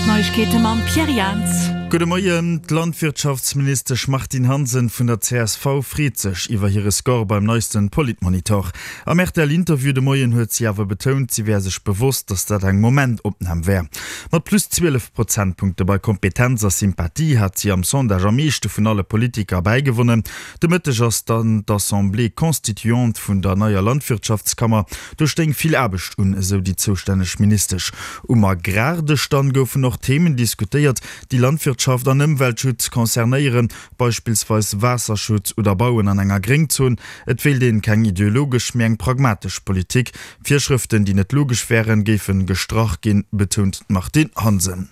D'Neiegkeete mam Pierre Jans. Gudde Moien. D'Landwirtschaftsministesch Martine Hansen vun der csv freet sech iwwer hire Score beim neisten Politmonitor. Am RTL-Interview de Moien huet si awer betount, si wär sech bewosst, datt dat eng Momentopnam wär. Mat plus 12 Prozentpunkte bei Kompetenz a Sympathie hat si am Sondage am meeschte vun alle Politiker bäigewonnen. De Mëtteg ass dann d'Assemblée constituante vun der neier Landwirtschaftskammer. Do stéing vill Aarbecht un, esou déi zoustänneg Ministesch. Um Agrardësch dann goufen och Themen diskutéiert, déi Landwirtschaft an Ëmweltschutz concernéieren, beispillsweis Waasserschutz oder Bauen an enger Gréngzon. Et wéilt een keng ideologesch, mee eng pragmatesch Politik. Virschrëften, déi net logesch wären, géifen gestrach ginn, betount d'Martine Hansen.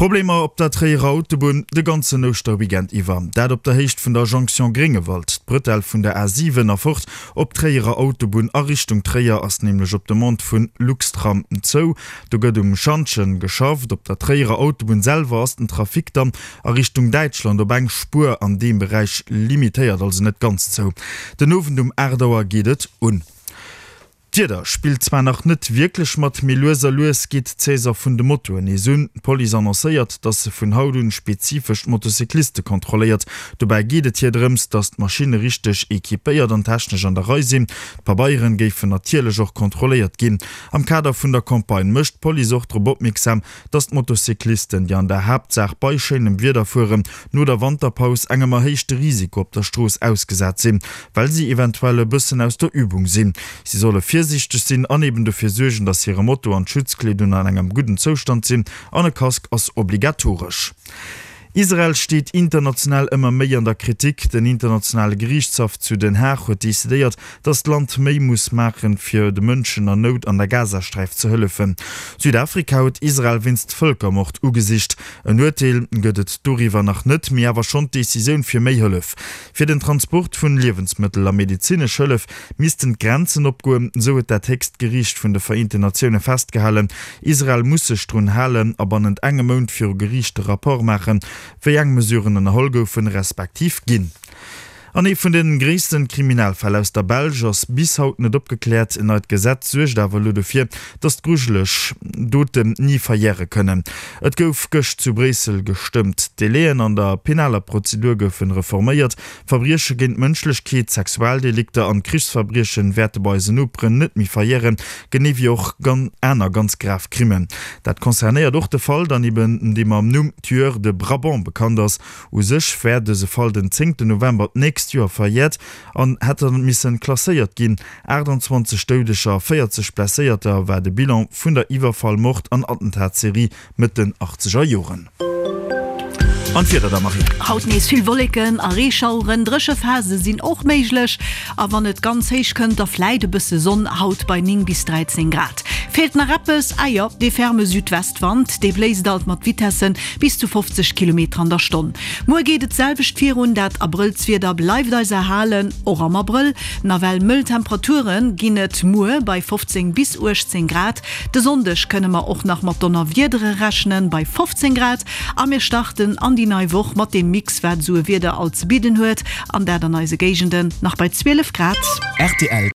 Problemer op der Tréierer Autobunn de ganzen Ouschterweekend iwwer. Dat op der Héicht vun der Jonction Gréngewald. D'Bretelle vun der A7 erfort op d'Tréierer Autobunn a Richtung Tréier ass nämlech op Demande vun Luxtram zou. Do gëtt um Schantjen geschafft. Op der Tréierer Autobunn selwer ass den Trafic dann a Richtung Däitschland op eng Spuer an deem Beräich limitéiert, also net ganz zou. Den Owend um 8 Auer geet et un. D'Wieder spillt zwar nach net wierklech mat, mee lues a lues geet d'Saison vun de Motoen nees un. D'Police annoncéiert, dass se vun haut un spezifesch d'Motocycliste kontrolléiert. Dobäi geet et hir drëms, dass d'Maschinne richteg equipéiert an technesch an der Rei sinn. D'Pabeieren géifen natierlech och kontrolléiert ginn. Am Kader vun der Campagne mécht d'Police och drop opmierksam, dass d'Motocyclisten, déi an der Haaptsaach bei schéinem Wieder fueren, no der Wanterpaus engem erhéichte Risiko op der Strooss ausgesat sinn, well si eventuell e bëssen aus der Übung sinn. Si solle virsiichteg sinn an eben dofir suergen, dass hire Moto an d'Schutzkleedung an engem gudden Zoustand sinn an e Casque ass obligatoresch. Israel steet international ëmmer méi an der Kritik. Den internationale Geriichtshaff zu Den Haag huet decidéiert, datt d'Land méi muss maachen, fir de Mënschen an Nout an der Gazasträif ze hëllefen. Südafrika huet Israel wéinst Vëlkermord ugesicht. En Urteel gëtt et doriwwer nach net, mee awer schonn d'Decisioun fir méi Hëllef. Fir den Transport vun Liewensmëttel a medezinesch Hëllef missten d'Grenzen opgoen, esou huet dat héchst Geriicht vun de Vereenten Natioune festgehalen. Israel muss sech drun halen a bannent engem Mount viru Geriicht de Rapport maachen, wéi eng Mesuren ënnerholl goufen, respektiv ginn. An ee vun de gréissten Kriminalfäll aus der Belsch ass bis haut net opgekläert. En neit Gesetz suergt awer elo dofir, datt d'grujeleg Doten ni verjäre kënnen. Et gouf gëscht zu Bréissel gestëmmt. D'Délaiën an der penaler Prozedur goufen reforméiert. Verbrieche géint d'Mënschlechkeet, Sexualdelikter an Krichsverbriechen wäerte bei eisen Noperen net méi verjären, genee wéi och aner ganz grav Crimmen. Dat concernéiert och de Fall dann eben, dee mam Numm Tueur de Brabant bekannt ass. U sech wär dëse Fall den zéngten November d'nächst Joer verjäert an hätt dann missen klasséiert ginn. 28 Doudeger a 40 Blesséierter war de Bilan vun der Iwwerfall-, Mord an Attentatsserie Mëtt den achtzeger Joren. An d'Wieder da, Marie? Haut nees vill Wolleken a Reeschaueren, dréche Phase sinn och méiglech a wann et ganz héich kënnt, da fläit e bësse Sonn, haut bei 9 bis 13 Grad. Feelt nach eppes? Ah jo, dee ferme Südwestwand, dee bléist alt mat Vitesse bis zu 50 Kilometer an der Stonn. Muer geet et d'selwecht virun, dat Abrëllswieder bleift eis erhalen, och am Abrëll. Nawell mëll Temperature ginn et muer bei 15 bis 18 Grad. De Sonndeg kënne mer och nach mat Donnerwiedere rechnen, bei 15 Grad. A mir starten an déi nei Woch mat deem Mix, wat esou e Wieder alt ze bidden huet, an dat an eise Géigenden nach bei 12 Grad. Rtl.